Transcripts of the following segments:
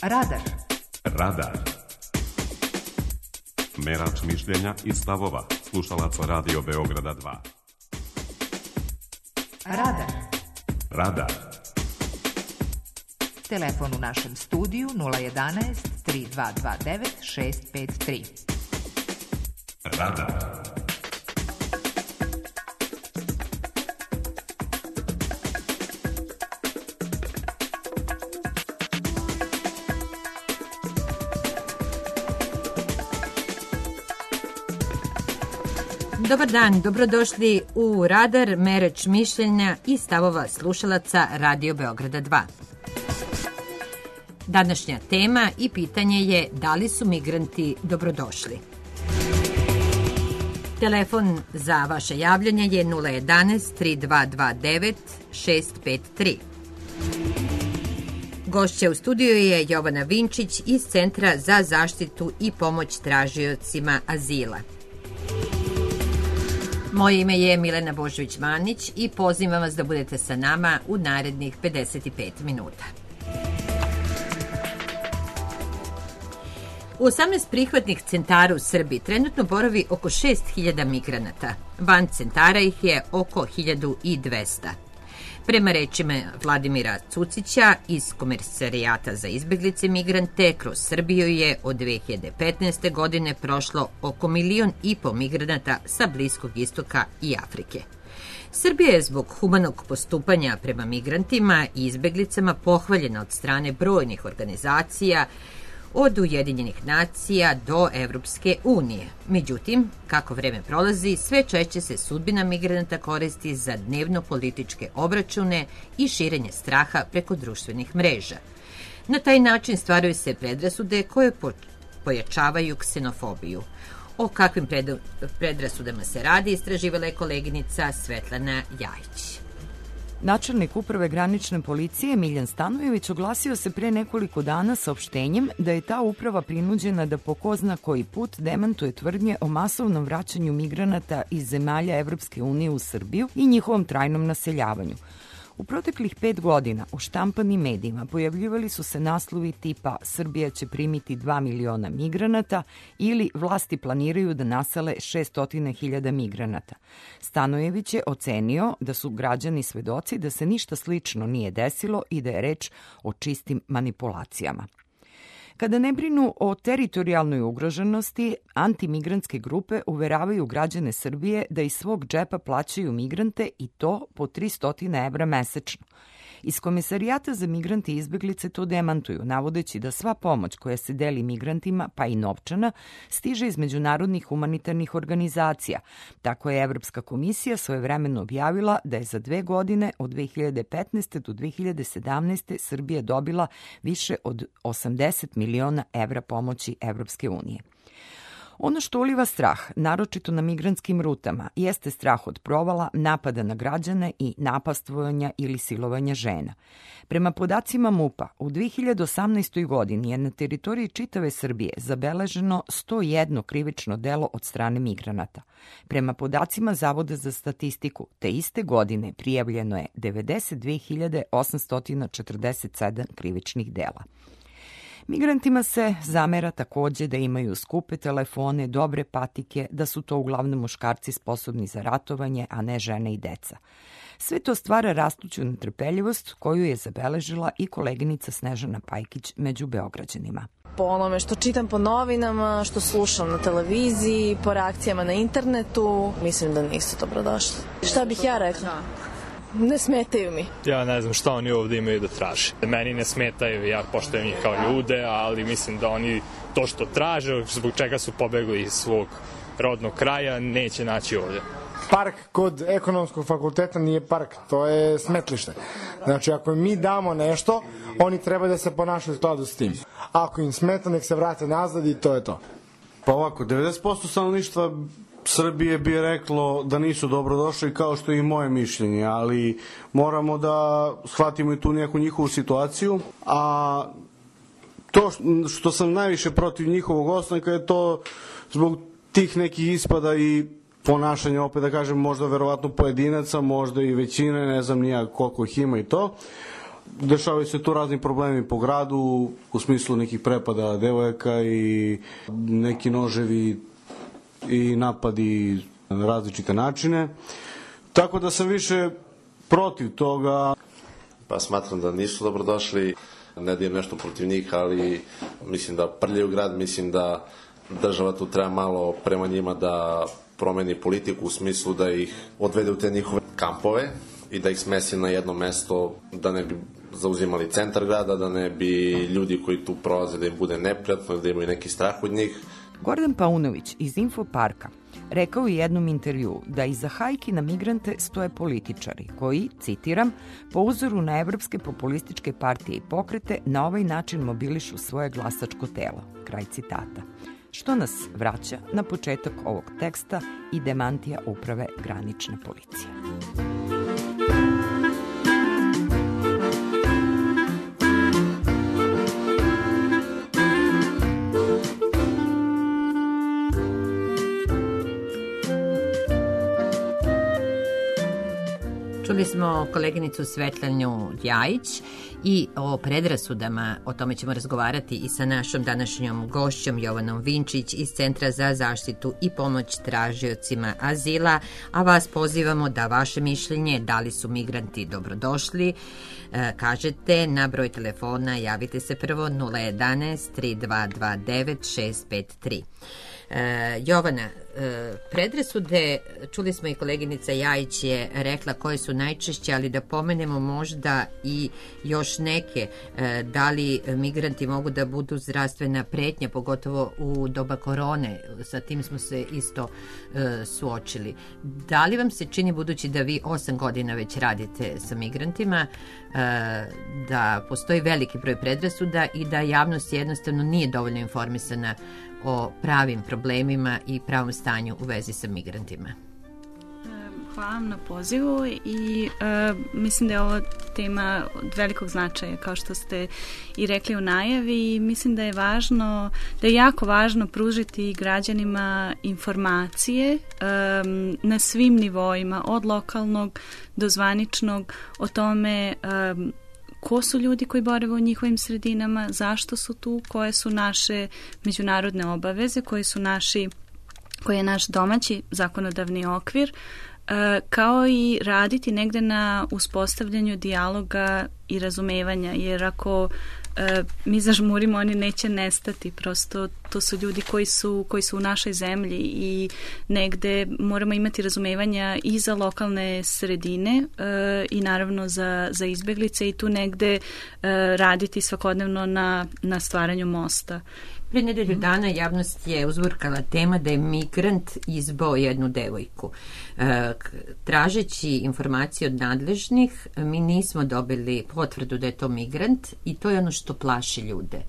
Radar. Radar. Merač mišljenja i stavova slušalaca Radio Beograda 2. Radar. Radar. Telefon u našem studiju 011 3229 653. Radar. Dobar dan, dobrodošli u Radar, Merač mišljenja i stavova slušalaca Radio Beograda 2. Današnja tema i pitanje je da li su migranti dobrodošli. Telefon za vaše javljanje je 011 3229 653. Gošća u studiju je Jovana Vinčić iz Centra za zaštitu i pomoć tražiocima azila. Moje ime je Milena Božović-Manić i pozivam vas da budete sa nama u narednih 55 minuta. U 18 prihvatnih centara u Srbiji trenutno boravi oko 6.000 migranata. Van centara ih je oko 1.200. Prema rečima Vladimira Cucića iz Komesarijata za izbeglice i migrante, kroz Srbiju je od 2015. godine prošlo oko 1,5 miliona migranata sa Bliskog istoka i Afrike. Srbija je zbog humanog postupanja prema migrantima i izbeglicama pohvaljena od strane brojnih organizacija, od Ujedinjenih nacija do Evropske unije. Međutim, kako vreme prolazi, sve češće se sudbina migranata koristi za dnevno političke obračune i širenje straha preko društvenih mreža. Na taj način stvaraju se predrasude koje pojačavaju ksenofobiju. O kakvim predrasudama se radi, istraživala je koleginica Svetlana Jajić. Načelnik uprave granične policije Miljan Stanojević oglasio se pre nekoliko dana saopštenjem da je ta uprava prinuđena da po ko zna koji put demantuje tvrdnje o masovnom vraćanju migranata iz zemalja Evropske unije u Srbiju i njihovom trajnom naseljavanju. U proteklih 5 godina u štampanim medijima pojavljivali su se naslovi tipa Srbija će primiti 2 miliona migranata ili vlasti planiraju da nasele 600.000 migranata. Stanojević je ocenio da su građani svedoci da se ništa slično nije desilo i da je reč o čistim manipulacijama. Kada ne brinu o teritorijalnoj ugroženosti, antimigrantske grupe uveravaju građane Srbije da iz svog džepa plaćaju migrante i to po 300 evra mesečno. Iz Komesarijata za migrante i izbeglice to demantuju, navodeći da sva pomoć koja se deli migrantima, pa i novčana, stiže iz međunarodnih humanitarnih organizacija. Tako je Evropska komisija svojevremeno objavila da je za 2 godine, od 2015. do 2017. Srbija dobila više od 80 miliona evra pomoći Evropske unije. Ono što uliva strah, naročito na migrantskim rutama, jeste strah od provala, napada na građane i napastvovanja ili silovanja žena. Prema podacima MUP-a, u 2018. godini je na teritoriji čitave Srbije zabeleženo 101 krivično delo od strane migranata. Prema podacima Zavoda za statistiku, te iste godine prijavljeno je 92.847 krivičnih dela. Migrantima se zamera takođe da imaju skupe telefone, dobre patike, da su to uglavnom muškarci sposobni za ratovanje, a ne žene i deca. Sve to stvara rastuću netrpeljivost koju je zabeležila i koleginica Snežana Pajkić među Beograđanima. Po onome što čitam po novinama, što slušam na televiziji, po reakcijama na internetu, mislim da nisu dobrodošli. Šta bih ja rekla? Ne smetaju mi. Ja ne znam šta oni ovde imaju da traže. Meni ne smetaju, ja poštujem njih kao ljude, ali mislim da oni to što traže, zbog čega su pobegli iz svog rodnog kraja, neće naći ovde. Park kod ekonomskog fakulteta nije park, to je smetlište. Znači, ako mi damo nešto, oni treba da se ponašaju u skladu s tim. Ako im smeta, nek se vrate nazad i to je to. Pa ovako, 90% stanovništva Srbije bi reklo da nisu dobrodošli, kao što je i moje mišljenje, ali moramo da shvatimo i tu neku njihovu situaciju, a to što sam najviše protiv njihovog ostanka je to zbog tih nekih ispada i ponašanja, opet da kažem, možda verovatno pojedinaca, možda i većine, ne znam nija koliko ih ima i to, Dešavaju se tu razni problemi po gradu, u smislu nekih prepada devojaka i neki noževi i napadi na različite načine. Tako da sam više protiv toga. Pa smatram da nisu dobrodošli, ne da im nešto protiv njih, ali mislim da prljaju grad, mislim da država tu treba malo prema njima da promeni politiku u smislu da ih odvede u te njihove kampove i da ih smesi na jedno mesto, da ne bi zauzimali centar grada, da ne bi ljudi koji tu prolaze da im bude neprijatno, da imaju neki strah od njih. Gordon Paunović iz Infoparka rekao u jednom intervjuu da iza hajki na migrante stoje političari koji, citiram, po uzoru na evropske populističke partije i pokrete na ovaj način mobilišu svoje glasačko telo. Kraj citata. Što nas vraća na početak ovog teksta i demantija uprave granične policije. Čuli smo koleginicu Svetlanu Ljajić i o predrasudama, o tome ćemo razgovarati i sa našom današnjom gošćom Jovanom Vinčić iz Centra za zaštitu i pomoć tražiocima azila, a vas pozivamo da vaše mišljenje, da li su migranti dobrodošli, kažete na broj telefona, javite se prvo 011 3229 653. Jovana, predrasude, čuli smo i koleginica Jajić je rekla koje su najčešće, ali da pomenemo možda i još neke, da li migranti mogu da budu zdravstvena pretnja, pogotovo u doba korone, sa tim smo se isto suočili. Da li vam se čini, budući da vi 8 godina već radite sa migrantima, da postoji veliki broj predrasuda i da javnost jednostavno nije dovoljno informisana o pravim problemima i pravom stanju u vezi sa migrantima? Hvala vam na pozivu i mislim da je ovo tema od velikog značaja, kao što ste i rekli u najavi, i mislim da je važno, da je jako važno pružiti građanima informacije na svim nivoima, od lokalnog do zvaničnog, o tome ko su ljudi koji borave u njihovim sredinama, zašto su tu, koje su naše međunarodne obaveze, koji je naš domaći zakonodavni okvir, kao i raditi negde na uspostavljanju dijaloga i razumevanja, jer ako mi zažmurimo, oni neće nestati, prosto to su ljudi koji su u našoj zemlji i negde moramo imati razumevanja i za lokalne sredine i naravno za izbeglice i tu negde raditi svakodnevno na stvaranju mosta. Pre nedelju dana javnost je uzburkala tema da je migrant izbao jednu devojku. Tražeći informacije od nadležnih, mi nismo dobili potvrdu da je to migrant i to je ono što plaši ljude.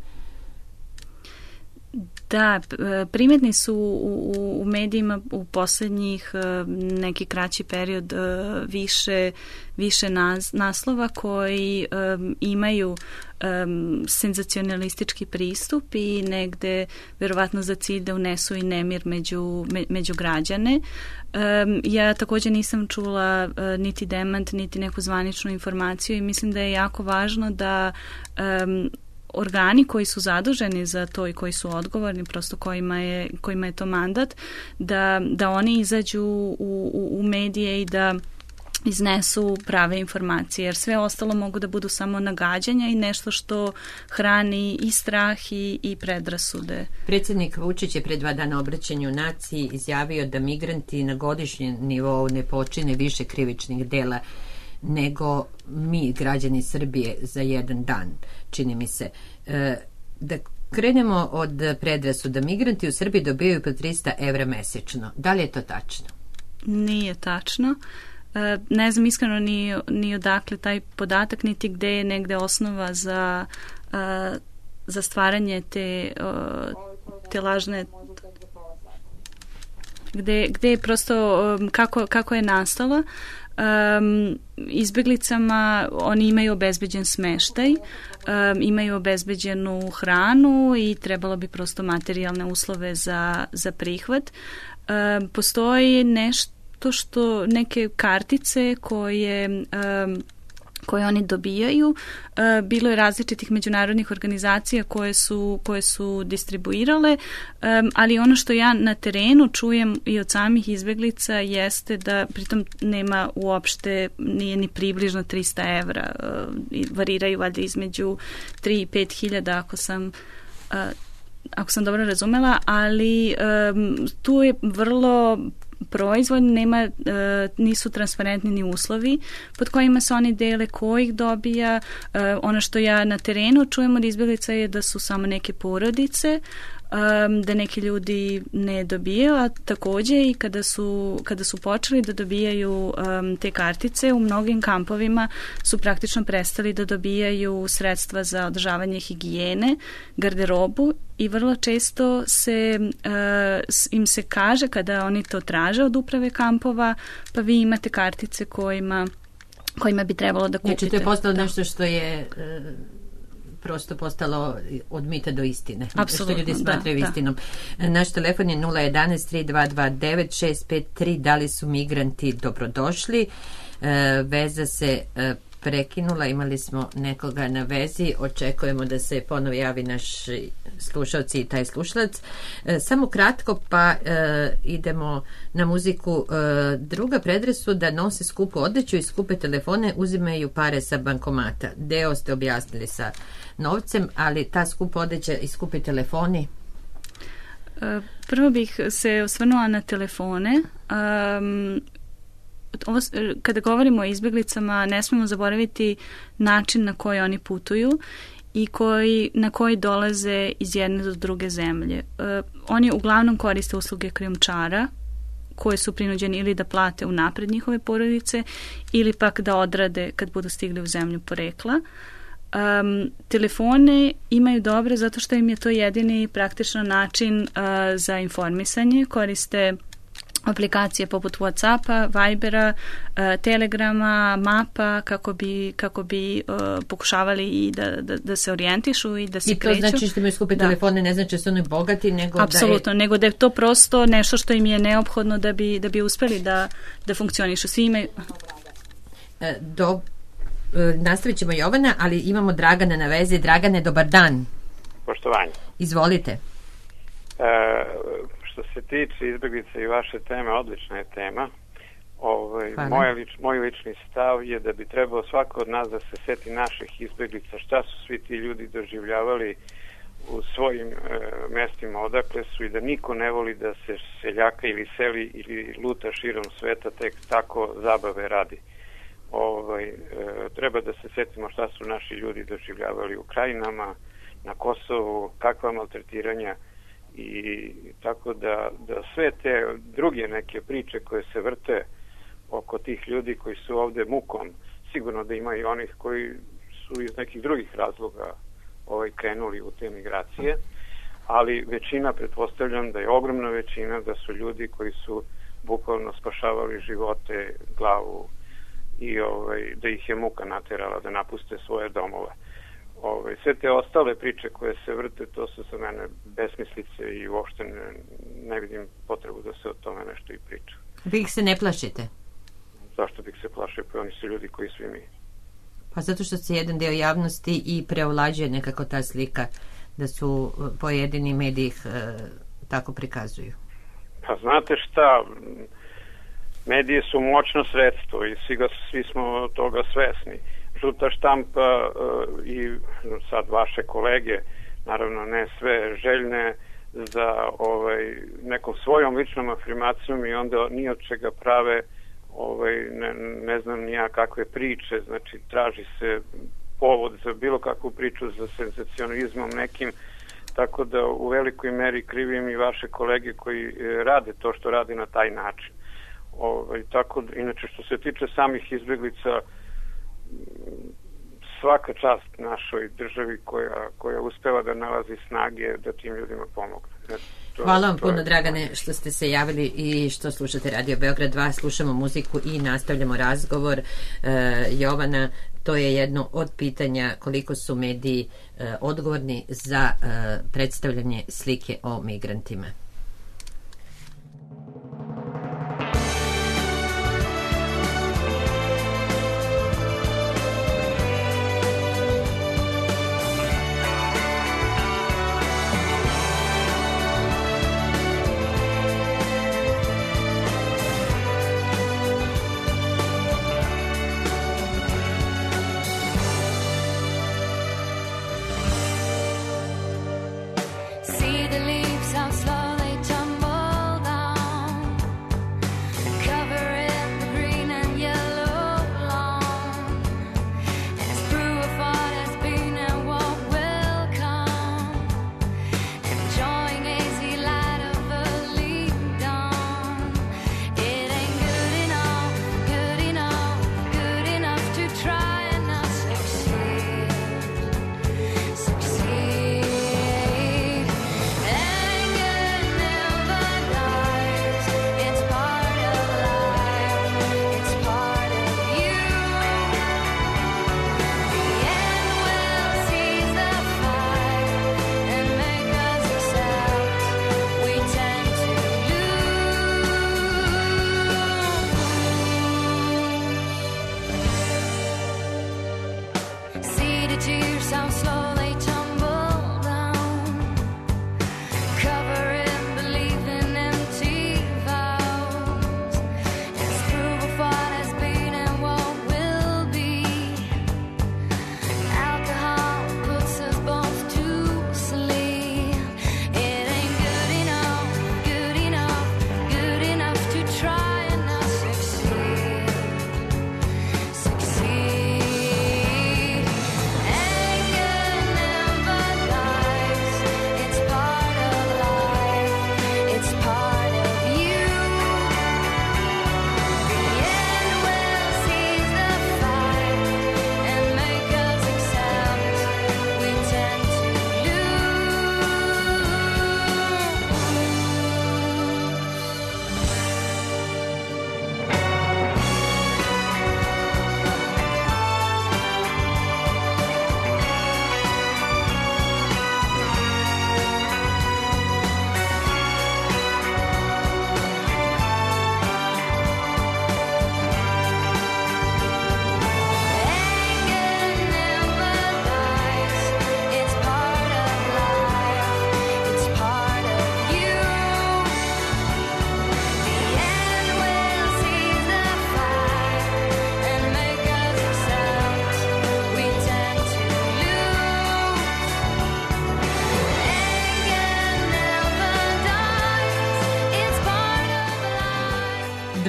Da, primetni su u medijima u poslednjih neki kraći period više naslova koji imaju senzacionalistički pristup i negde verovatno za cilj da unesu i nemir među građane. Ja također nisam čula niti demant, niti neku zvaničnu informaciju i mislim da je jako važno da organi koji su zaduženi za to i koji su odgovorni, prosto kojima je to mandat, da oni izađu u medije i da iznesu prave informacije, jer sve ostalo mogu da budu samo nagađanja i nešto što hrani i strah i predrasude. Predsjednik Vučić je pre 2 dana obraćanju naciji izjavio da migranti na godišnjem nivou ne počine više krivičnih dela nego mi, građani Srbije, za jedan dan, čini mi se. Da krenemo od predrasuda. Migranti u Srbiji dobijaju po 300 evra mesečno. Da li je to tačno? Nije tačno. Ne znam iskreno ni odakle taj podatak, niti gde je negde osnova za stvaranje te lažne, gde je prosto kako je nastala. Izbeglicama oni imaju obezbeđen smeštaj, imaju obezbeđenu hranu i trebalo bi prosto materijalne uslove za prihvat. Postoji nešto neke kartice koje oni dobijaju. Bilo je različitih međunarodnih organizacija koje su distribuirale, ali ono što ja na terenu čujem i od samih izbeglica jeste da pritom nema uopšte, nije ni približno 300 evra. Variraju valjda između 3 i 5 hiljada ako sam dobro razumela, ali tu je vrlo proizvodno, nisu transparentni ni uslovi pod kojima se oni dele, ko ih dobija. Ono što ja na terenu čujem od izbjeglica je da su samo neke porodice, da neki ljudi ne dobijaju, a takođe i kada su počeli da dobijaju te kartice, u mnogim kampovima su praktično prestali da dobijaju sredstva za održavanje higijene, garderobu i vrlo često im se kaže kada oni to traže od uprave kampova, pa vi imate kartice kojima bi trebalo da kupite. Znači to je postalo nešto što je prosto postalo od mita do istine. Apsolutno, što ljudi smatraju istinom. Naš telefon je 011-3229-653. Da li su migranti dobrodošli? Veza se prekinula, imali smo nekoga na vezi, očekujemo da se ponovo javi naš slušalci i taj slušalac. Samo kratko pa idemo na muziku. Druga predrasuda, nose skupu odeću i skupe telefone, uzimaju pare sa bankomata. Deo ste objasnili sa novcem, ali ta skupa odeća i skupi telefoni? Prvo bih se osvrnula na telefone. Kada govorimo o izbjeglicama, ne smemo zaboraviti način na koji oni putuju i na koji dolaze iz jedne do druge zemlje. Oni uglavnom koriste usluge krijumčara koje su prinuđeni ili da plate unapred njihove porodice ili pak da odrade kad budu stigli u zemlju porekla. Telefone imaju dobre zato što im je to jedini praktično način za informisanje. Koriste aplikacije poput WhatsAppa, Vibera, Telegrama, Mapa kako bi pokušavali i da se orijentišu i da se kreću. I to znači što imaju skupe telefone, ne znači da su oni bogati, nego apsolutno, nego da je to prosto nešto što im je neophodno da bi uspeli da funkcionišu. Svi imaju... Nastavit ćemo Jovana, ali imamo Dragana na vezi. Dragane, dobar dan. Poštovanje. Izvolite. Što se tiče izbjeglice i vaše teme, odlična je tema. Moj lični stav je da bi trebao svako od nas da se seti naših izbjeglica, šta su svi ti ljudi doživljavali u svojim mestima odakle su i da niko ne voli da se seljaka ili seli ili luta širom sveta tek tako zabave radi. Treba da se setimo šta su naši ljudi doživljavali u krajinama, na Kosovu, kakva maltretiranja i tako da sve te druge neke priče koje se vrte oko tih ljudi koji su ovde mukom, sigurno da ima i onih koji su iz nekih drugih razloga krenuli u te migracije, ali većina, pretpostavljam da je ogromna većina, da su ljudi koji su bukvalno spašavali živote, glavu i da ih je muka naterala da napuste svoje domove. Sve te ostale priče koje se vrte, to su za mene besmislice i uopšte ne vidim potrebu da se o tome nešto i priča. Vi ih se ne plašite? Zašto bih se plašio? Pa oni su ljudi koji svi mi. Pa zato što se jedan deo javnosti i preovlađuje nekako ta slika da su pojedini mediji tako prikazuju. Pa znate šta, medije su moćno sredstvo i svi smo toga svesni. Žuta štampa i sad vaše kolege, naravno ne sve, željne za nekom svojom ličnom afirmacijom i onda ni od čega prave ne znam nija kakve priče, znači traži se povod za bilo kakvu priču za senzacionalizmom nekim, tako da u velikoj meri krivim i vaše kolege koji rade to što radi na taj način. Tako da, inače što se tiče samih izbjeglica, svaka čast našoj državi koja uspeva da nalazi snage da tim ljudima pomogne. Hvala vam puno, Dragane, što ste se javili i što slušate Radio Beograd 2. Slušamo muziku i nastavljamo razgovor. Jovana, to je jedno od pitanja koliko su mediji odgovorni za predstavljanje slike o migrantima.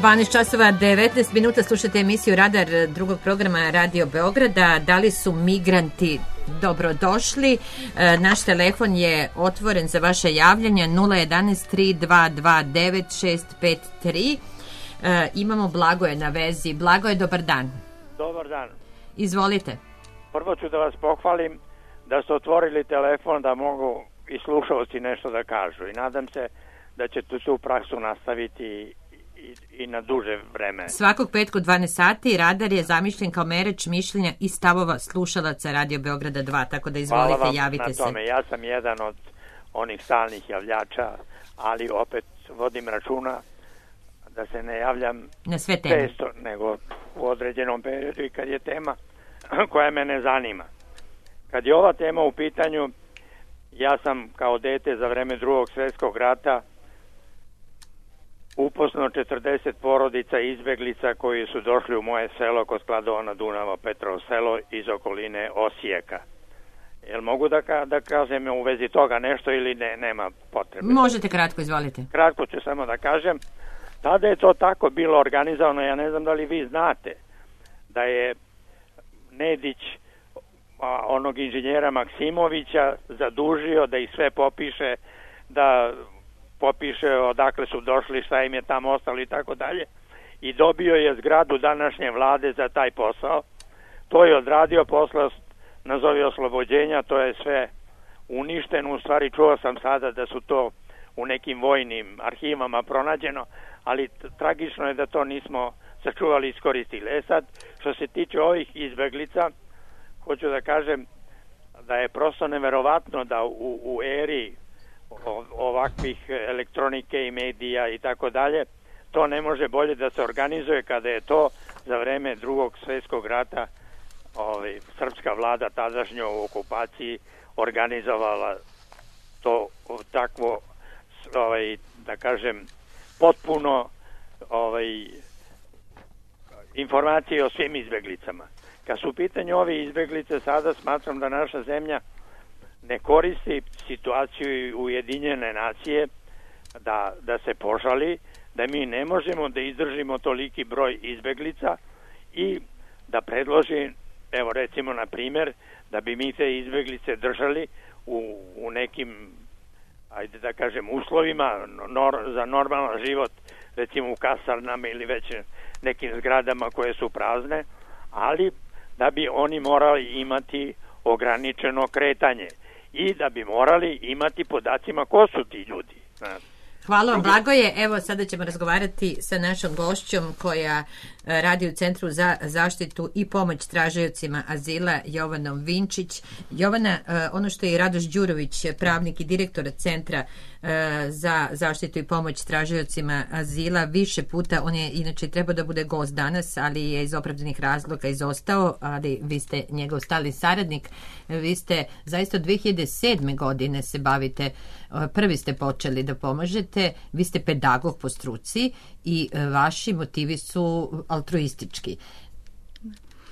12 časova 19 minuta slušate emisiju Radar drugog programa Radio Beograda. Da li su migranti dobrodošli? Naš telefon je otvoren za vaše javljanje 011 3229 653. Imamo Blagoje na vezi. Blagoje, dobar dan. Dobar dan. Izvolite. Prvo ću da vas pohvalim da ste otvorili telefon da mogu i slušalci nešto da kažu i nadam se da ćete tu praksu nastaviti i na duže vreme. Svakog petka u 12 sati Radar je zamišljen kao mereč mišljenja i stavova slušalaca Radio Beograda 2, tako da izvolite, javite se. Hvala vam na tome. Ja sam jedan od onih stalnih javljača, ali opet vodim računa da se ne javljam na sve teme, često, nego u određenom periodu i kad je tema koja mene zanima. Kad je ova tema u pitanju, ja sam kao dete za vreme Drugog svjetskog rata upoznao 40 porodica izbeglica koji su došli u moje selo kod Kladova na Dunavu, Petrovo selo iz okoline Osijeka. Jel mogu da kažem u vezi toga nešto ili ne, nema potrebe? Možete kratko, izvolite. Kratko ću samo da kažem. Tada je to tako bilo organizovano, ja ne znam da li vi znate, da je Nedić onog inženjera Maksimovića zadužio da ih sve popiše, da popiše odakle su došli, šta im je tamo ostalo i tako dalje, i dobio je zgradu današnje vlade za taj posao. To je odradio posle, nazovi oslobođenja, to je sve uništeno. U stvari čuo sam sada da su to u nekim vojnim arhivama pronađeno, ali tragično je da to nismo sačuvali i iskoristili. Sad, što se tiče ovih izbeglica, hoću da kažem da je prosto neverovatno da u eri ovakvih elektronike i medija i tako dalje, to ne može bolje da se organizuje kada je to za vreme Drugog svjetskog rata srpska vlada tadašnja u okupaciji organizovala to takvo, da kažem, potpuno informacije o svim izbeglicama. Kad su u pitanju ove izbeglice, sada smatram da naša zemlja ne koristi situaciju Ujedinjene nacije da se požali, da mi ne možemo da izdržimo toliki broj izbeglica i da predloži, evo recimo na primjer, da bi mi te izbeglice držali u nekim, ajde da kažem, uslovima za normalan život, recimo u kasarnama ili već nekim zgradama koje su prazne, ali da bi oni morali imati ograničeno kretanje i da bi morali imati podacima ko su ti ljudi. Hvala vam, Blagoje. Evo, sada ćemo razgovarati sa našom gošćom koja radi u Centru za zaštitu i pomoć tražaocima azila, Jovanom Vinčić. Jovana, ono što je Radoš Đurović, pravnik i direktor Centra za zaštitu i pomoć tražaocima azila, više puta, on je inače trebao da bude gost danas, ali je iz opravdanih razloga izostao, ali vi ste njegov stalni saradnik. Vi ste zaista od 2007. godine se bavite, prvi ste počeli da pomažete, vi ste pedagog po struci i vaši motivi su altruistički.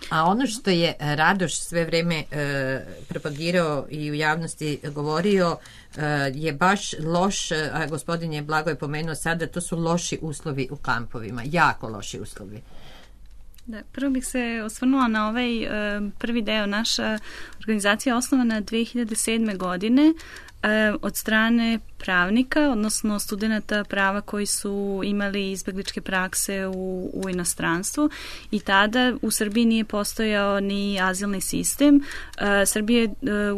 A ono što je Radoš sve vreme propagirao i u javnosti govorio je baš loš, a gospodin je Blago je pomenuo sada, to su loši uslovi u kampovima, jako loši uslovi. Da, prvo bih se osvrnula na ovaj prvi deo. Naša organizacija je osnovana 2007. godine od strane pravnika, odnosno studenata prava koji su imali izbegličke prakse u inostranstvu i tada u Srbiji nije postojao ni azilni sistem. Srbija je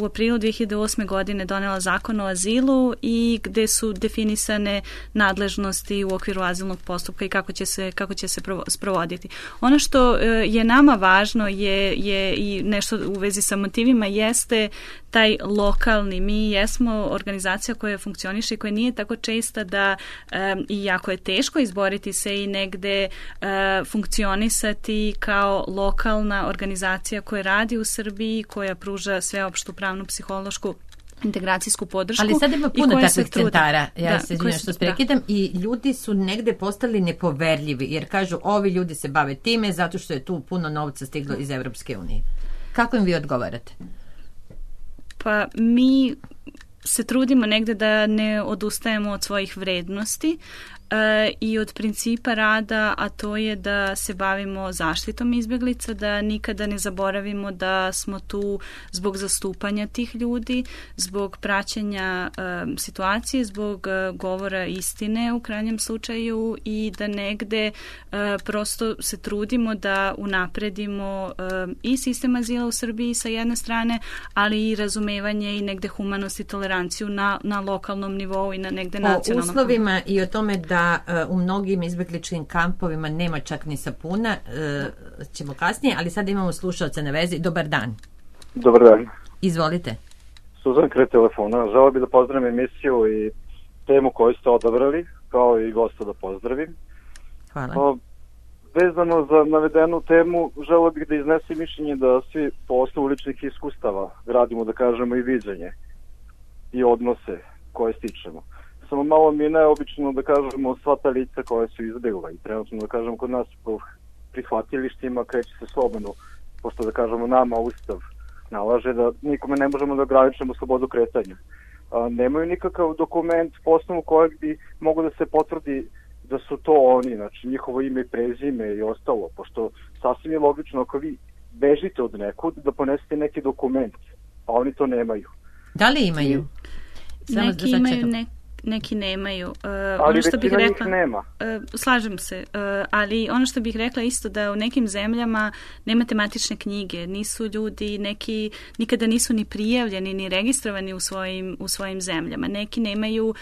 u aprilu 2008. godine donela zakon o azilu i gde su definisane nadležnosti u okviru azilnog postupka i kako će se sprovoditi. Ono što je nama važno je i nešto u vezi sa motivima jeste taj lokalni. Mi jesmo organizacija koja funkcioniše i koja nije tako česta da i jako je teško izboriti se i negde funkcionisati kao lokalna organizacija koja radi u Srbiji, koja pruža sveopštu pravnu psihološku integracijsku podršku. Ali sad ima puno takvih centara, ja se izvinjam što prekidam, i ljudi su negde postali nepoverljivi, jer kažu ovi ljudi se bave time zato što je tu puno novca stiglo iz Evropske unije. Kako im vi odgovarate? Pa mi se trudimo negde da ne odustajemo od svojih vrednosti i od principa rada, a to je da se bavimo zaštitom izbeglica, da nikada ne zaboravimo da smo tu zbog zastupanja tih ljudi, zbog praćenja situacije, zbog govora istine u krajnjem slučaju i da negde prosto se trudimo da unapredimo i sistem azila u Srbiji sa jedne strane, ali i razumevanje i negde humanost i toleranciju na lokalnom nivou i na negde nacionalnom. O uslovima i o tome da u mnogim izbegličkim kampovima nema čak ni sapuna, ćemo kasnije, ali sad imamo slušalca na vezi. Dobar dan. Dobar dan. Izvolite. Suzan kraj telefona. Želeo bih da pozdravim emisiju i temu koju ste odabrali, kao i gosta da pozdravim. Hvala. Vezano za navedenu temu, želeo bih da iznesem mišljenje da svi po osnovu ličnih iskustava gradimo, da kažemo, i viđenje i odnose koje stičemo. Samo malo mi je neobično da kažemo sva ta lica koja su izbjegla i trenutno da kažemo kod nas po prihvatilištima kreće se slobodno, pošto da kažemo nama Ustav nalaže da nikome ne možemo da ograničimo slobodu kretanja. Nemaju nikakav dokument po osnovu kojeg bi mogo da se potvrdi da su to oni, znači njihovo ime i prezime i ostalo, pošto sasvim je logično ako vi bežite od nekud da ponesete neki dokument, a oni to nemaju. Da li imaju? Neki imaju, neki nemaju. Ali ono što bih rekla, nema. Slažem se, ali ono što bih rekla isto da u nekim zemljama nema tematične knjige, nisu ljudi, neki nikada nisu ni prijavljeni ni registrovani u svojim zemljama. Neki nemaju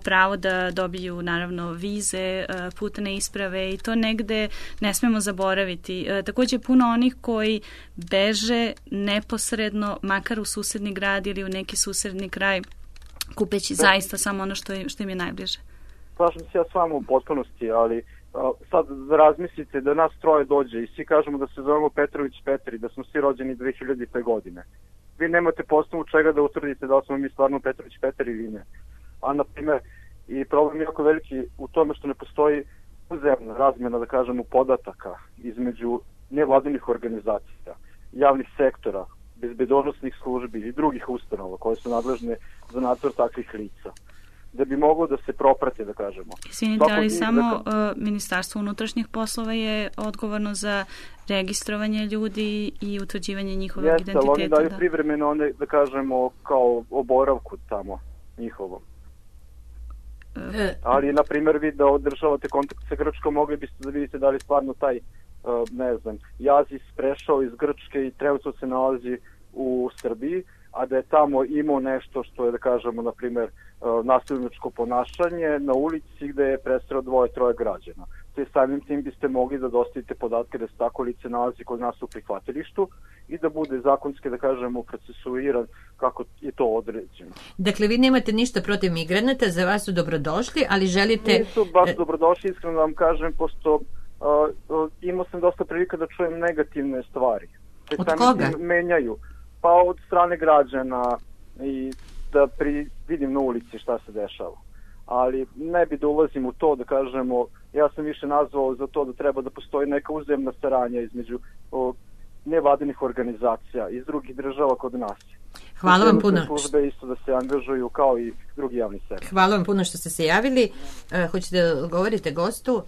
pravo da dobiju naravno vize, putne isprave i to negde ne smemo zaboraviti. Takođe puno onih koji beže neposredno, makar u susedni grad ili u neki susedni kraj, kupeći zaista samo ono što im je najbliže. Slažem se ja s vama u potpunosti, ali sad razmislite da nas troje dođe i svi kažemo da se zovemo Petrović Petri, da smo svi rođeni 2000. godine. Vi nemate po osnovu čega da utvrdite da smo mi stvarno Petrović Petri ili ne. A na primjer, i problem je jako veliki u tome što ne postoji uzemna razmjena, da kažemo, podataka između nevladinih organizacija, javnih sektora, bezbednosnih službi i drugih ustanova koje su nadležne za nadzor takvih lica, da bi moglo da se proprate, da kažemo. Izvinite, ali samo Ministarstvo unutrašnjih poslova je odgovorno za registrovanje ljudi i utvrđivanje njihovog identiteta. Jeste, ali oni daju privremeno one, da kažemo, kao oboravku tamo njihovom. Ali, na primjer, vi da održavate kontakt sa Grčkom, mogli biste da vidite da li stvarno taj ne znam, Jazis prešao iz Grčke i trenutno se nalazi u Srbiji, a da je tamo imao nešto što je, da kažemo, na primjer, nasilničko ponašanje na ulici gde je presreo 2-3 građana. Te samim tim biste mogli da dostavite podatke da se tako lice nalazi kod nas u prihvatilištu i da bude zakonski, da kažemo, procesuiran kako je to određeno. Dakle, vi nemate ništa protiv migranata, za vas su dobrodošli, ali želite... Nisu baš dobrodošli, iskreno da vam kažem, pošto imao sam dosta prilika da čujem negativne stvari. Od koga? Menjaju. Pa od strane građana i da vidim na ulici šta se dešava. Ali ne bi da ulazim u to, da kažemo, ja sam više nazvao za to da treba da postoji neka uzajamna saradnja između nevladinih organizacija iz drugih država kod nas. Hvala vam puno. Službe isto da se angažuju kao i drugi javni sektor. Hvala vam puno što ste se javili. Hoćete da govorite gostu?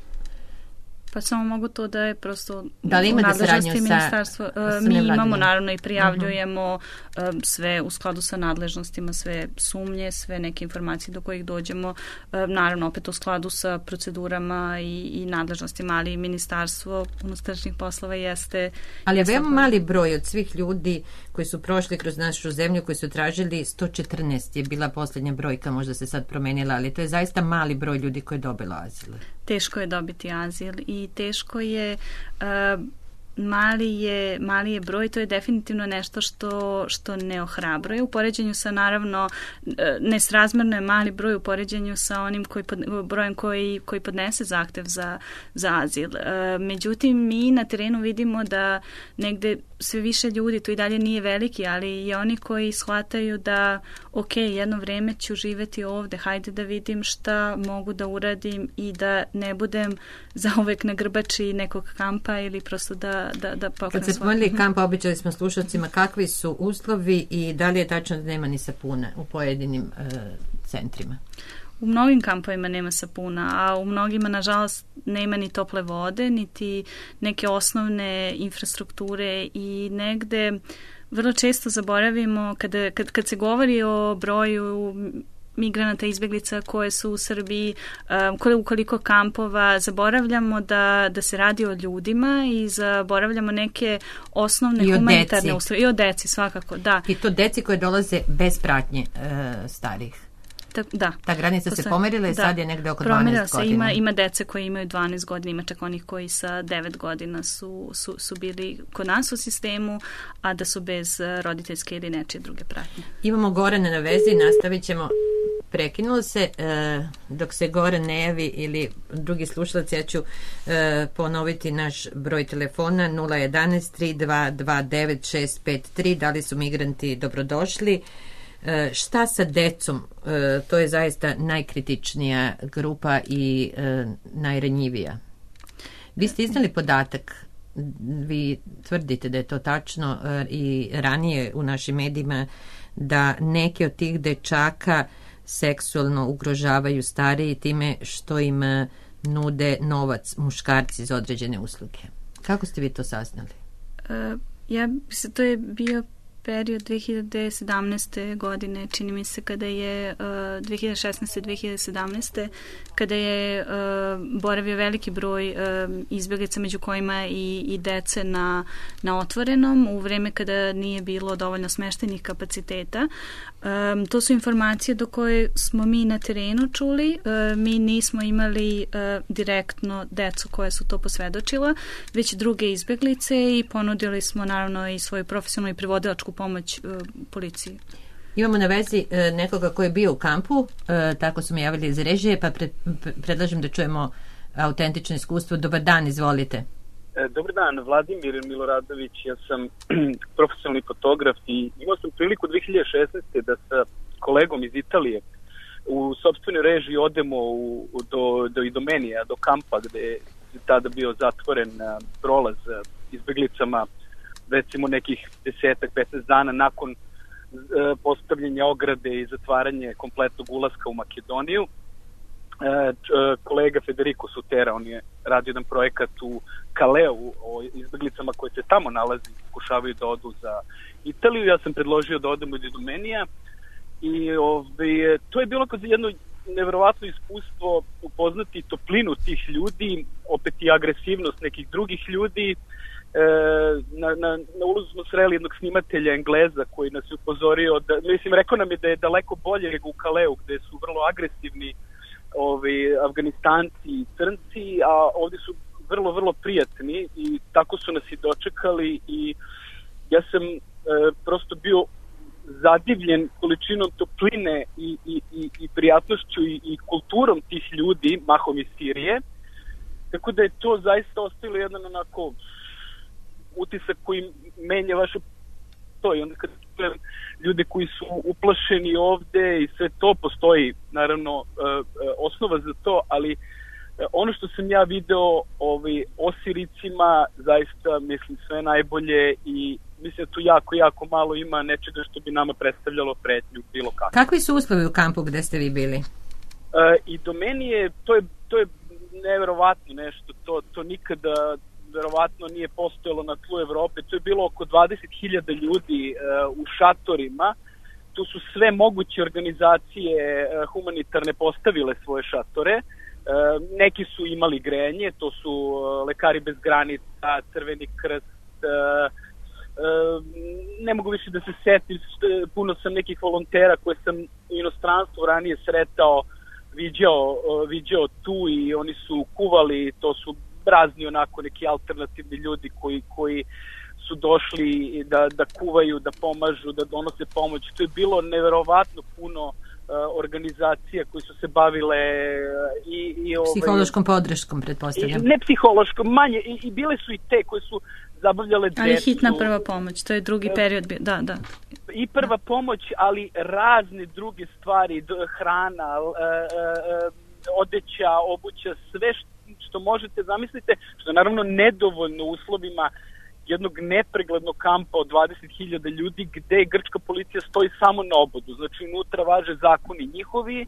Pa samo mogu to da je prosto da li imate saradnju ministarstva. Mi imamo naravno i prijavljujemo sve u skladu sa nadležnostima, sve sumnje, sve neke informacije do kojih dođemo, naravno opet u skladu sa procedurama i nadležnostima, ali i ministarstvo unutrašnjih poslova jeste... Ali je veoma mali broj od svih ljudi koji su prošli kroz našu zemlju, koji su tražili 114 je bila posljednja brojka, možda se sad promenila, ali to je zaista mali broj ljudi koji je dobilo azil. Teško je dobiti azil i teško je, mali je broj, to je definitivno nešto što ne ohrabruje. U poređenju sa, naravno, nesrazmerno je mali broj u poređenju sa onim brojem koji podnese zahtev za azil. Međutim, mi na terenu vidimo da negde sve više ljudi, to i dalje nije veliki, ali i oni koji shvataju da ok, jedno vreme ću živeti ovde, hajde da vidim šta mogu da uradim i da ne budem zauvek na grbači nekog kampa ili prosto da pokrenem. Kad se spomenuli kampa, običali smo slušalcima kakvi su uslovi i da li je tačno da nema ni sapuna u pojedinim centrima? U mnogim kampovima nema sapuna, a u mnogima, nažalost, nema ni tople vode, niti neke osnovne infrastrukture i negde vrlo često zaboravimo kad se govori o broju migranata, izbjeglica koje su u Srbiji, u koliko kampova, zaboravljamo da se radi o ljudima i zaboravljamo neke osnovne humanitarne uslove. I o deci, svakako, da. I to deci koje dolaze bez pratnje starih. Da. Ta granica se pomerila i sad je negde oko 12 godina. Ima dece koji imaju 12 godina, ima čak onih koji sa 9 godina su bili kod nas u sistemu, a da su bez roditeljske ili nečije druge pratnje. Imamo Gorana na vezi, nastavit ćemo. Prekinulo se, dok se Goran ne javi ili drugi slušalac, ja ću ponoviti naš broj telefona 011 3229 653. Da li su migranti dobrodošli? Šta sa decom? To je zaista najkritičnija grupa i najranjivija. Vi ste iznali podatak, vi tvrdite da je to tačno i ranije u našim medijima, da neki od tih dečaka seksualno ugrožavaju stariji time što im nude novac muškarci za određene usluge. Kako ste vi to saznali? To je bio period 2017. godine, čini mi se, kada je 2016. 2017. kada je boravio veliki broj izbjeglica, među kojima i dece na otvorenom, u vreme kada nije bilo dovoljno smeštajnih kapaciteta. To su informacije do koje smo mi na terenu čuli. Mi nismo imali direktno decu koje su to posvedočila, već druge izbjeglice i ponudili smo naravno i svoju profesionalnu i prevodilačku pomoć policiji. Imamo na vezi nekoga koji je bio u kampu, tako su mi javili iz režije, pa predlažem da čujemo autentično iskustvo. Dobar dan, izvolite. Dobar dan, Vladimir Miloradović, ja sam profesionalni fotograf i imao sam priliku 2016. da sa kolegom iz Italije u sopstvenoj režiji odemo do Idomenija, do kampa gde je tada bio zatvoren prolaz izbeglicama, recimo nekih 10-15 dana nakon postavljanja ograde i zatvaranje kompletnog ulaska u Makedoniju. Kolega Federico Sutera, on je radio jedan projekat u Kaleu o izbeglicama koje se tamo nalazi, pokušavaju da odu za Italiju. Ja sam predložio da odemo do Idomenija i to je bilo jedno neverovatno iskustvo upoznati toplinu tih ljudi, opet i agresivnost nekih drugih ljudi, na ulazu smo sreli jednog snimatelja Engleza koji nas je upozorio, rekao nam je da je daleko bolje nego u Kaleu gde su vrlo agresivni Afganistanci i Crnci, a ovdje su vrlo, vrlo prijatni i tako su nas i dočekali i ja sam prosto bio zadivljen količinom topline i prijatnošću i kulturom tih ljudi, mahom iz Sirije, tako da je to zaista ostalo jedan onako utisak koji menja vaše to i onda kad ljude koji su uplašeni ovde i sve to, postoji naravno osnova za to, ali ono što sam ja video o Siricima, zaista mislim sve najbolje i mislim da tu jako malo ima nečega što bi nama predstavljalo pretnju bilo kako. Kakvi su uslovi u kampu gde ste vi bili? I do meni je, to je neverovatno nešto, to nikada verovatno nije postojalo na tlu Evrope, to je bilo oko 20.000 ljudi u šatorima, tu su sve moguće organizacije humanitarne postavile svoje šatore, neki su imali grejanje, to su Lekari bez granica, Crveni krst, ne mogu više da se setim, puno sam nekih volontera koje sam u inostranstvu ranije sretao, viđao tu i oni su kuvali, to su razni onako neki alternativni ljudi koji su došli da kuvaju, da pomažu, da donose pomoć. To je bilo neverovatno puno organizacija koji su se bavile i psihološkom podrškom, pretpostavljam. Ne psihološkom, manje, i bile su i te koje su zabavljale decu. Ali hitna prva pomoć, to je drugi period bio, da. I prva pomoć, ali razne druge stvari, hrana, odeća, obuća, sve što možete zamislite, što je naravno nedovoljno u uslovima jednog nepreglednog kampa od 20.000 ljudi gde grčka policija stoji samo na obodu. Znači, unutra važe zakoni njihovi,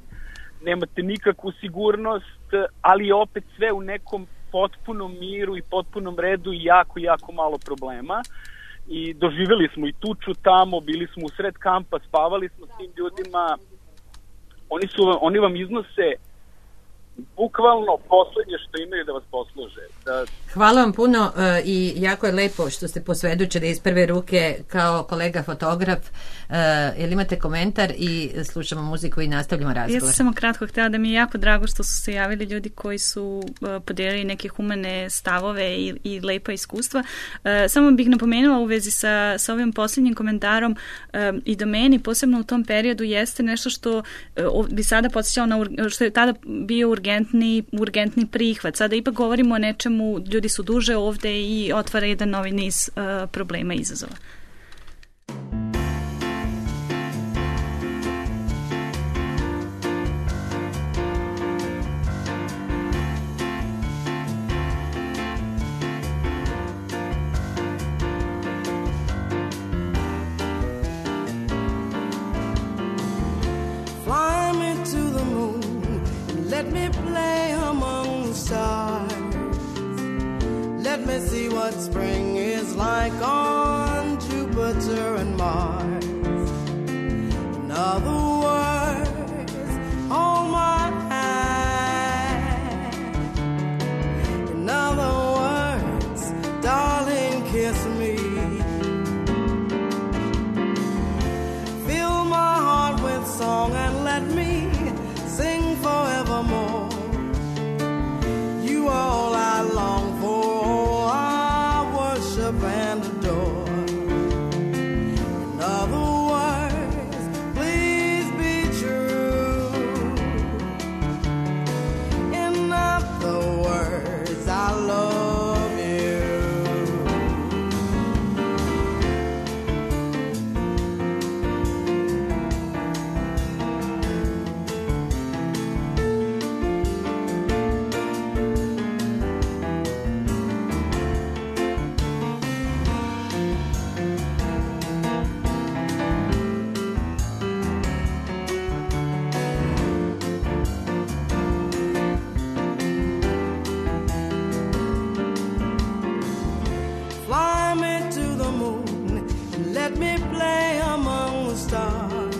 nemate nikakvu sigurnost, ali opet sve u nekom potpunom miru i potpunom redu i jako malo problema. I doživjeli smo i tuču tamo, bili smo u sred kampa, spavali smo s tim ljudima. Oni vam iznose bukvalno poslednje što imaju da vas posluže. Hvala vam puno i jako je lepo što ste posvedočili iz prve ruke kao kolega fotograf. Jel imate komentar i slušamo muziku i nastavljamo razgovor? Ja sam samo kratko htjela da mi je jako drago što su se javili ljudi koji su podijelili neke humane stavove i lepa iskustva. Samo bih napomenula u vezi sa ovim posljednjim komentarom i do meni, posebno u tom periodu, jeste nešto što bi sada podsjećalo na što je tada bio urgentni prihvat. Sada ipak govorimo o nečemu, ljudi su duže ovde i otvara jedan novi niz problema i izazova. Fly me to the moon and let me play among the stars. Let me see what spring is like on Jupiter and Mars. In other words, hold my hand. In other words, darling, kiss me. Fill my heart with song and let me sing forevermore. You are all I long for, all I worship and adore. In other words, please be true. In other words, I love you. Fly me to the moon and let me play among the stars.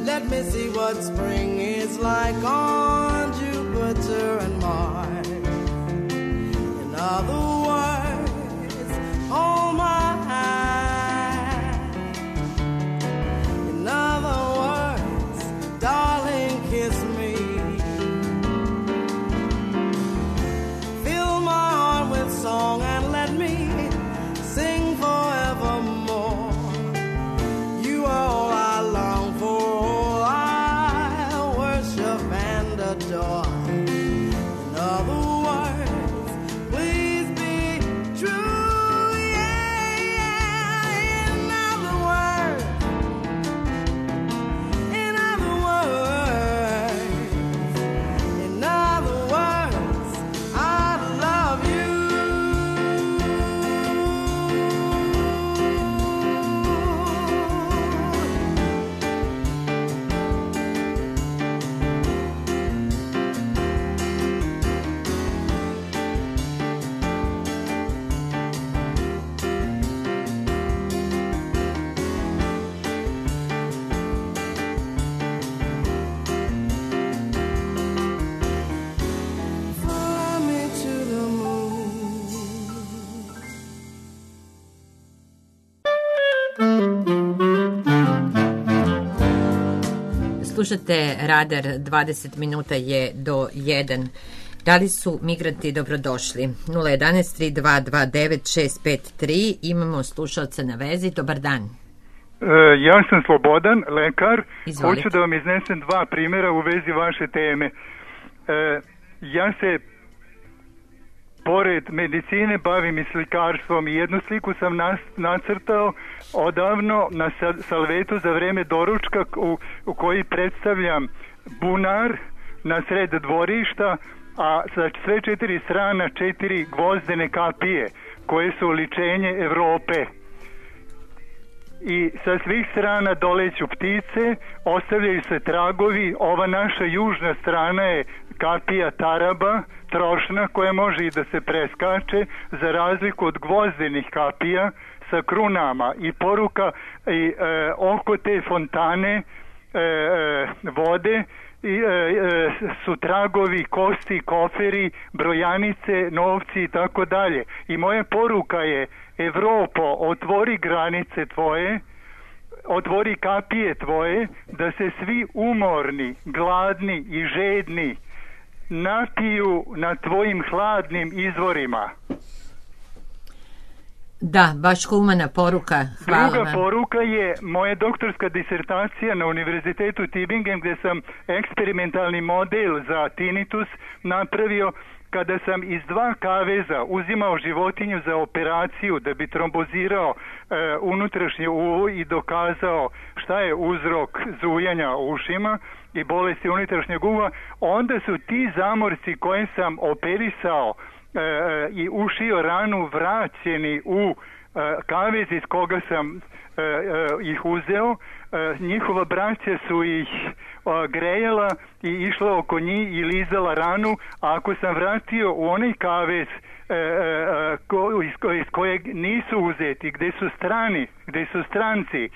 Let me see what spring is like on Jupiter and Mars. In other words, Slušate Radar, 20 minuta je do 1. Da li su migranti dobrodošli? 011-3229-653. Imamo slušalca na vezi. Dobar dan. Ja sam Slobodan, lekar. Izvolite. Hoću da vam iznesem 2 primjera u vezi vaše teme. Ja se pored medicine bavim i slikarstvom i jednu sliku sam nacrtao odavno na salvetu za vreme doručka u koji predstavljam bunar na sred dvorišta, a sa sve 4 strana 4 gvozdene kapije koje su oličenje Evrope. I sa svih strana doleću ptice, ostavljaju se tragovi. Ova naša južna strana je kapija taraba, trošna, koja može i da se preskače, za razliku od gvozdenih kapija sa krunama. I poruka i oko te fontane vode su tragovi, kosti, koferi, brojanice, novci i tako dalje. I moja poruka je: Evropo, otvori granice tvoje, otvori kapije tvoje, da se svi umorni, gladni i žedni napiju na tvojim hladnim izvorima. Da, baš humana poruka. Hvala Druga vam. poruka je moja doktorska disertacija na Univerzitetu Tübingen, gde sam eksperimentalni model za tinnitus napravio kada sam iz 2 kaveza uzimao životinju za operaciju da bi trombozirao unutrašnje uvo i dokazao šta je uzrok zujanja u ušima i bolesti unutrašnjeg uva. Onda su ti zamorci koje sam operisao i ušio ranu vraćeni u kavez iz koga sam ih uzeo. Njihova braća su ih grejala i išla oko njih i lizala ranu, a ako sam vratio u onaj kavez iz kojeg nisu uzeti, gde su stranci,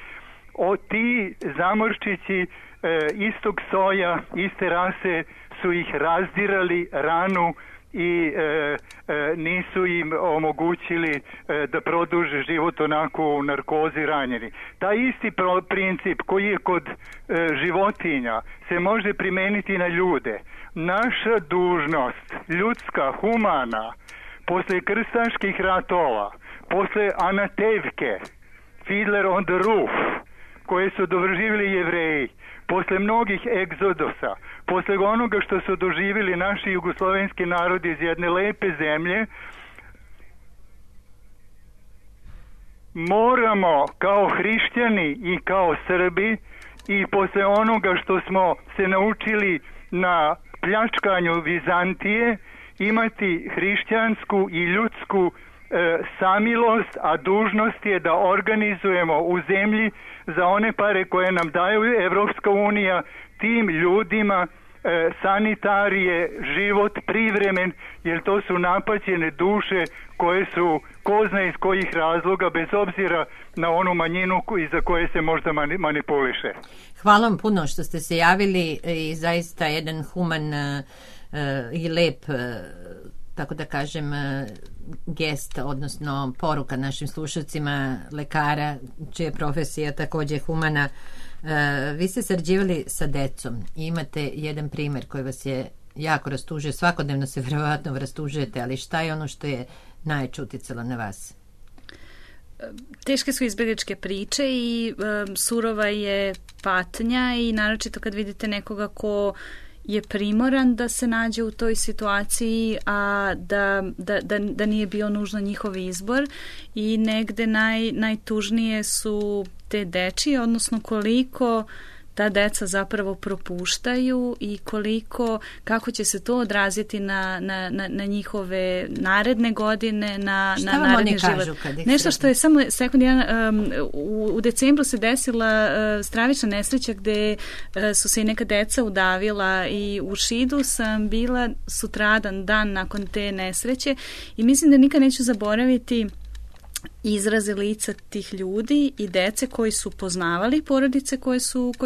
ti zamorčići istog soja, iste rase su ih razdirali ranu i nisu im omogućili da produže život onako u narkozi ranjeni. Taj isti princip koji je kod životinja se može primeniti na ljude. Naša dužnost, ljudska, humana, posle krstaških ratova, posle Anatevke, Fiddler on the Roof, koje su doživjeli Jevreji, posle mnogih egzodusa, posle onoga što su doživjeli naši jugoslovenski narodi iz jedne lepe zemlje, moramo kao hrišćani i kao Srbi i posle onoga što smo se naučili na pljačkanju Vizantije imati hrišćansku i ljudsku samilost, a dužnost je da organizujemo u zemlji za one pare koje nam daju Evropska unija tim ljudima sanitarije, život privremen, jer to su napaćene duše koje su ko zna iz kojih razloga, bez obzira na onu manjinu iza koje se možda manipuliše. Hvala vam puno što ste se javili i zaista jedan human i lep, tako da kažem, gest, odnosno poruka našim slušalcima, lekara, čija je profesija također humana. Vi ste sarađivali sa decom i imate jedan primjer koji vas je jako rastužio. Svakodnevno se vjerovatno rastužujete, ali šta je ono što je najjače uticalo na vas? Teške su izbjegličke priče i surova je patnja, i naročito kad vidite nekoga ko je primoran da se nađe u toj situaciji, a da nije bio nužno njihov izbor. I negde najtužnije su te dečije, odnosno koliko ta deca zapravo propuštaju i kako će se to odraziti na njihove naredne godine, na naredni život. Nešto što je samo sekund jedan, u decembru se desila stravična nesreća gde su se i neka deca udavila, i u Šidu sam bila sutradan dan nakon te nesreće i mislim da nikad neću zaboraviti izraze lica tih ljudi i dece koji su poznavali porodice koje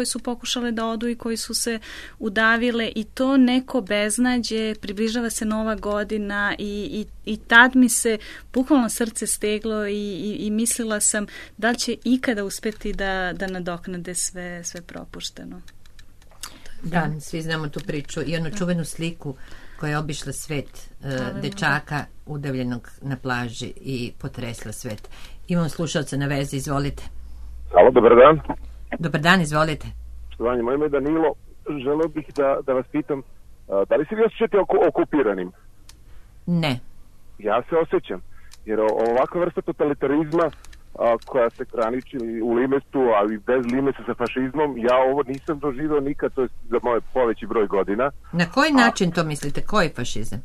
su pokušale da odu i koji su se udavile, i to neko beznađe, približava se Nova godina i tad mi se bukvalno srce steglo i mislila sam da li će ikada uspjeti da nadoknade sve propušteno. Da, svi znamo tu priču i onu čuvenu sliku koja je obišla svet dečaka udavljenog na plaži i potresla svet. Imamo slušalca na vezi, izvolite. Halo, dobar dan. Dobar dan, izvolite. Štovanje, moje ime je Danilo. Želeo bih da vas pitam, da li se vi osjećate okupiranim? Ne. Ja se osjećam, jer ovakva vrsta totalitarizma koja se graniči u limestu, ali bez limesa sa fašizmom, ja ovo nisam doživio nikad, to je za moje poveći broj godina. Na koji način to mislite? Koji fašizam?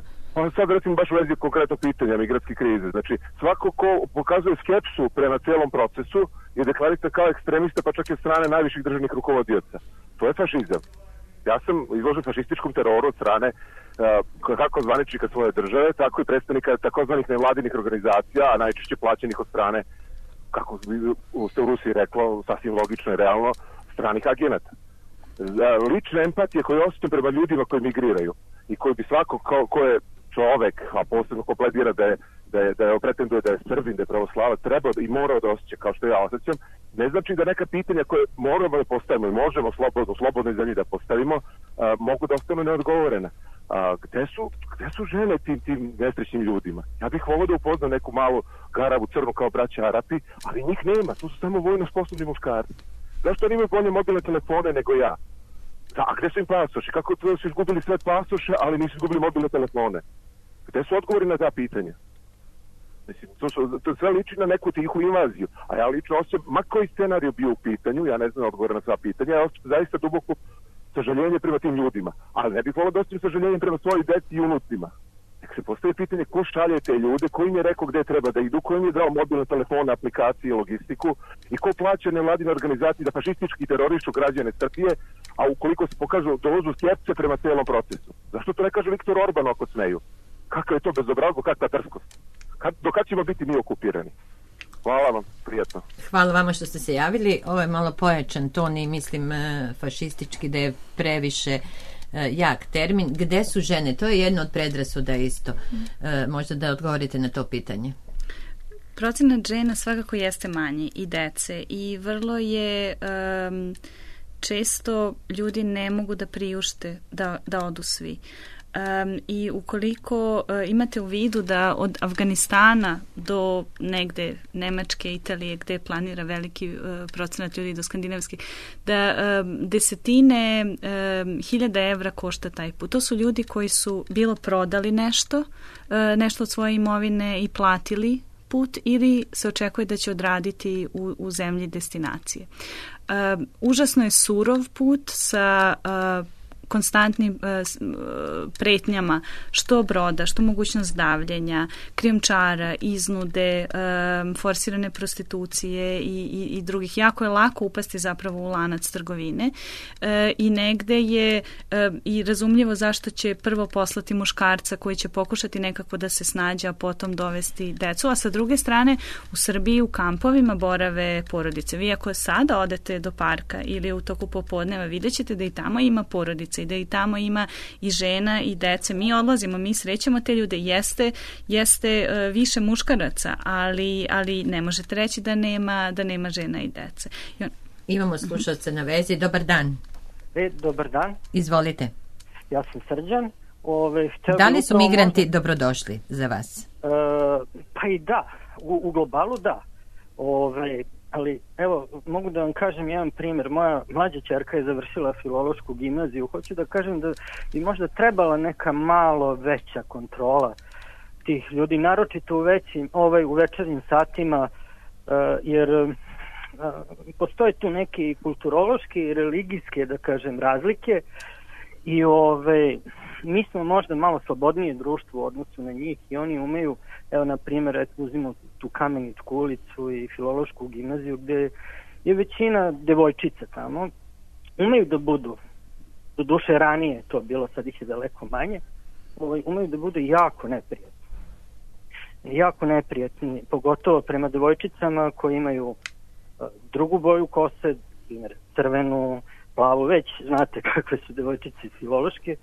Sad recimo baš u vezi konkretnog pitanja migratske krize. Znači, svako ko pokazuje skepsu prema celom procesu je deklarista kao ekstremista, pa čak i od strane najviših državnih rukovodioca. To je fašizam. Ja sam izložen fašističkom teroru od strane kako zvaničnika svoje države, tako i predstavnika takozvanih nevladinih organizacija, a najčešće plaćenih od strane, kako se u Rusiji reklo, sasvim logično i realno, stranih agenata. Lična empatija koju osjećam prema ljudima koji migriraju i koji bi svako ko je čovek, a posebno ko pledira da je pretenduje da je Srbin, da je pravoslavac, trebao i morao da osjeća kao što ja osjećam, ne znači da neka pitanja koje moramo da postavimo i možemo u slobodnoj zemlji da postavimo, mogu da ostanu neodgovorena. Gde su žene tim nesrećnim ljudima? Ja bih volio da upoznam neku malu garavu crnu kao braća Arapi, ali njih nema, tu su samo vojno sposobni muškarci. Zašto oni imaju bolje mobilne telefone nego ja? A gde su im pasoši? Kako to su izgubili sve pasoše, ali nisu izgubili mobilne telefone? Gde su odgovori na ta pitanja? Mislim, to sve liči na neku tihu invaziju. A ja lično osjećam, ma koji scenarij bio u pitanju, ja ne znam odgovor na sva pitanja, ja osjećam zaista duboko sažaljenje prema tim ljudima. Ali ne bih volio da osjećam sažaljenje prema svojoj deci i unucima. Nek se postavi pitanje ko šalje te ljude, ko im je rekao gde treba da idu, ko im je dao mobilne telefone, aplikacije i logistiku i ko plaća nevladine organizacije da fašistički terorišu građane Srbije, a ukoliko se pokažu dozu skepse prema celom procesu. Zašto to ne kaže Viktor Orban ako smeju? Kakva je to bezobrazluk, kakva drskost? Do kad ćemo biti mi okupirani? Hvala vam, prijatno. Hvala vama što ste se javili. Ovo je malo pojačan ton i mislim fašistički da je previše jak termin. Gde su žene? To je jedno od predrasuda isto. Možda da odgovorite na to pitanje. Procenat žena svakako jeste manji i dece i vrlo je često ljudi ne mogu da priušte da odu svi. I ukoliko imate u vidu da od Afganistana do negde Nemačke, Italije, gde planira veliki procenat ljudi do skandinavskih, da desetine hiljada evra košta taj put. To su ljudi koji su bilo prodali nešto od svoje imovine i platili put ili se očekuje da će odraditi u zemlji destinacije. Užasno je surov put sa konstantnim pretnjama, što broda, što mogućnost davljenja, krijumčara, iznude, forsirane prostitucije i drugih. Jako je lako upasti zapravo u lanac trgovine i negde je i razumljivo zašto će prvo poslati muškarca koji će pokušati nekako da se snađe, a potom dovesti decu, a sa druge strane u Srbiji u kampovima borave porodice. Vi ako sada odete do parka ili u toku popodneva, vidjet ćete da i tamo ima porodice i da i tamo ima i žena i dece. Mi odlazimo, mi srećemo te ljude, jeste više muškaraca, ali ne možete reći da nema žena i dece. Imamo slušalca na vezi. Dobar dan. Dobar dan. Izvolite. Ja sam Srđan. Da li su migranti dobrodošli za vas? Pa i da. U globalu da. Ali evo, mogu da vam kažem jedan primjer. Moja mlađa ćerka je završila filološku gimnaziju. Hoću da kažem da bi možda trebala neka malo veća kontrola tih ljudi, naročito u večernjim satima, jer postoje tu neke kulturološke i religijske, da kažem, razlike i mi smo možda malo slobodnije društvo u odnosu na njih i oni umeju, evo na primjer, uzmimo tu Kameničku ulicu i filološku gimnaziju gde je većina devojčica tamo, umeju da budu, do duše ranije to bilo, sad ih je daleko manje, umeju da budu jako neprijatni. Jako neprijatni, pogotovo prema devojčicama koji imaju drugu boju kose, primjer crvenu, plavu, već znate kakve su devojčice filološke,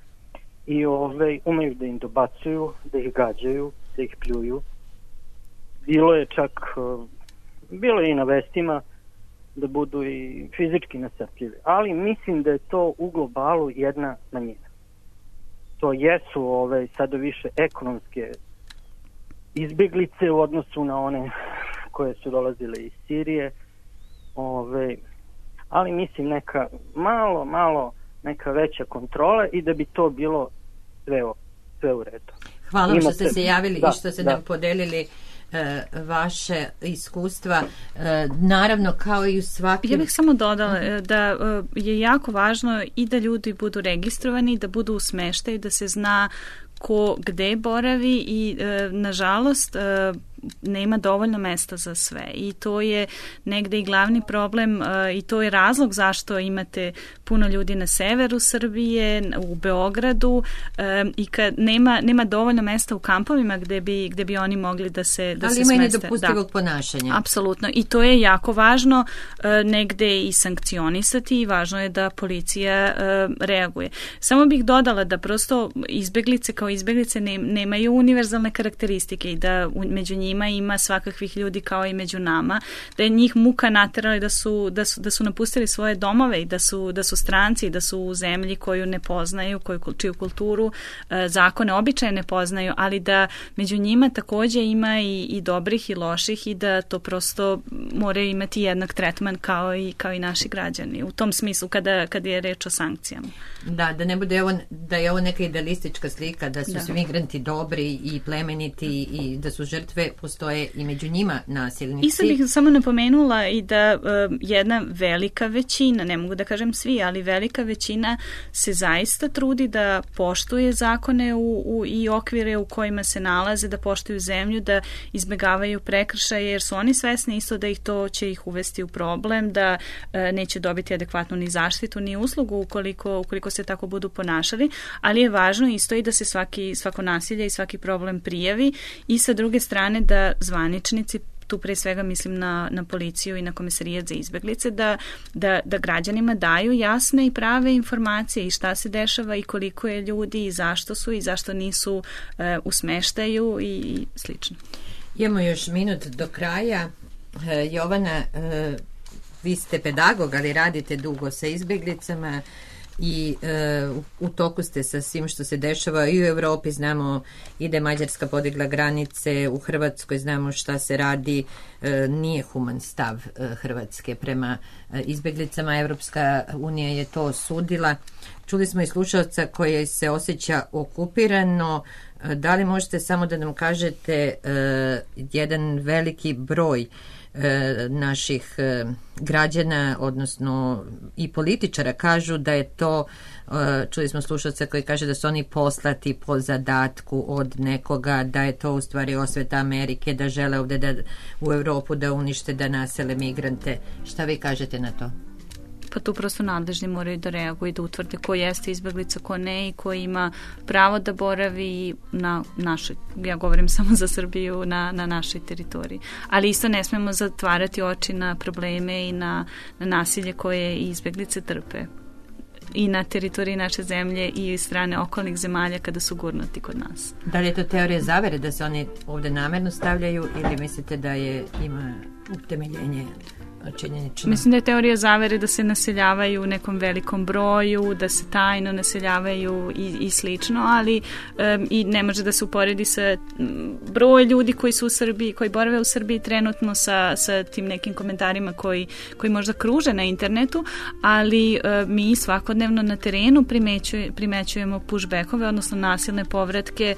i umeju da im dobacuju, da ih gađaju, da ih pljuju. Bilo je i na vestima da budu i fizički nastrpljivi. Ali mislim da je to u globalu jedna manjina. To jesu sada više ekonomske izbjeglice u odnosu na one koje su dolazile iz Sirije. Ali mislim neka malo neka veća kontrola i da bi to bilo sve u redu. Hvala vam što ste se javili i što ste nam podelili vaše iskustva. Naravno, kao i u svakim... Ja bih samo dodala da je jako važno i da ljudi budu registrovani, da budu u smeštaju, da se zna ko gde boravi i nažalost nema dovoljno mesta za sve i to je negde i glavni problem i to je razlog zašto imate puno ljudi na severu Srbije, u Beogradu i kad nema dovoljno mesta u kampovima gde bi oni mogli da se smeste. Ali ima i nedopustivog ponašanja. Apsolutno i to je jako važno negde i sankcionisati i važno je da policija reaguje. Samo bih dodala da prosto izbeglice kao izbeglice nemaju univerzalne karakteristike i da među njima ima svakakvih ljudi kao i među nama, da je njih muka naterali da su napustili svoje domove i da su stranci, da su u zemlji koju ne poznaju, čiju kulturu, zakone, običaje ne poznaju, ali da među njima takođe ima i dobrih i loših i da to prosto moraju imati jednak tretman kao i naši građani. U tom smislu kada je reč o sankcijama. Da ne bude da je ovo neka idealistička slika, da su svi migranti dobri i plemeniti i da su žrtve, postoje i među njima nasilnici. I sad bih samo napomenula i da jedna velika većina, ne mogu da kažem svi, ali velika većina se zaista trudi da poštuje zakone i okvire u kojima se nalaze, da poštuju zemlju, da izbegavaju prekršaje, jer su oni svesni isto da to će ih uvesti u problem, da neće dobiti adekvatnu ni zaštitu, ni uslugu ukoliko se tako budu ponašali, ali je važno isto i da se svako nasilje i svaki problem prijavi i sa druge strane da zvaničnici, tu pre svega mislim na policiju i na Komesarijat za izbeglice, da građanima daju jasne i prave informacije i šta se dešava i koliko je ljudi i zašto su i zašto nisu u smeštaju i slično. Imamo još minut do kraja. Jovana, vi ste pedagog, ali radite dugo sa izbeglicama i u toku ste sa svim što se dešava i u Evropi. Znamo i da je Mađarska podigla granice, u Hrvatskoj znamo šta se radi, nije human stav Hrvatske prema izbeglicama. Evropska unija je to osudila. Čuli smo i slušalca koji se osjeća okupirano. Da li možete samo da nam kažete jedan veliki broj naših građana, odnosno i političara kažu da je to, čuli smo slušalca koji kaže da su oni poslati po zadatku od nekoga, da je to u stvari osveta Amerike, da žele ovde u Evropu da unište, da nasele migrante. Šta vi kažete na to? Pa tu prosto nadležni moraju da reaguju i da utvrde ko jeste izbeglica, ko ne i ko ima pravo da boravi na našoj, ja govorim samo za Srbiju, na našoj teritoriji. Ali isto ne smemo zatvarati oči na probleme i na nasilje koje izbeglice trpe i na teritoriji naše zemlje i strane okolnih zemalja kada su gurnuti kod nas. Da li je to teorija zavere da se oni ovde namerno stavljaju ili mislite da ima utemeljenje činjenično? Mislim da je teorija zavere da se naseljavaju u nekom velikom broju, da se tajno naseljavaju i slično, ali i ne može da se uporedi sa broj ljudi koji su u Srbiji, koji borave u Srbiji trenutno sa tim nekim komentarima koji možda kruže na internetu, ali mi svakodnevno na terenu primećujemo pushbackove, odnosno nasilne povratke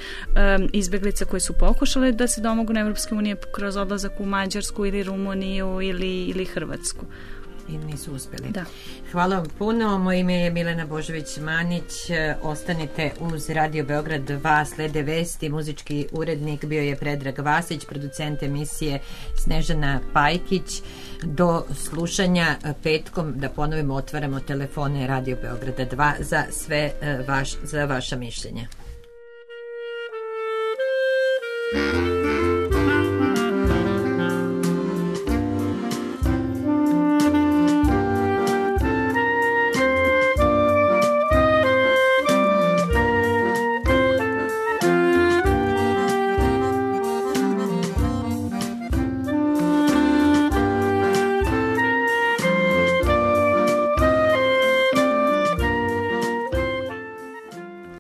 izbeglica koji su pokušale da se domogu na Evropske unije kroz odlazak u Mađarsku ili Rumuniju ili Hrvatsku. I nisu uspjeli. Da. Hvala vam puno. Moje ime je Milena Božović-Manić. Ostanite uz Radio Beograd 2, slede vesti. Muzički urednik bio je Predrag Vasić, producent emisije Snežana Pajkić. Do slušanja petkom, da ponovimo, otvaramo telefone Radio Beograda 2 za sve za vaša mišljenja.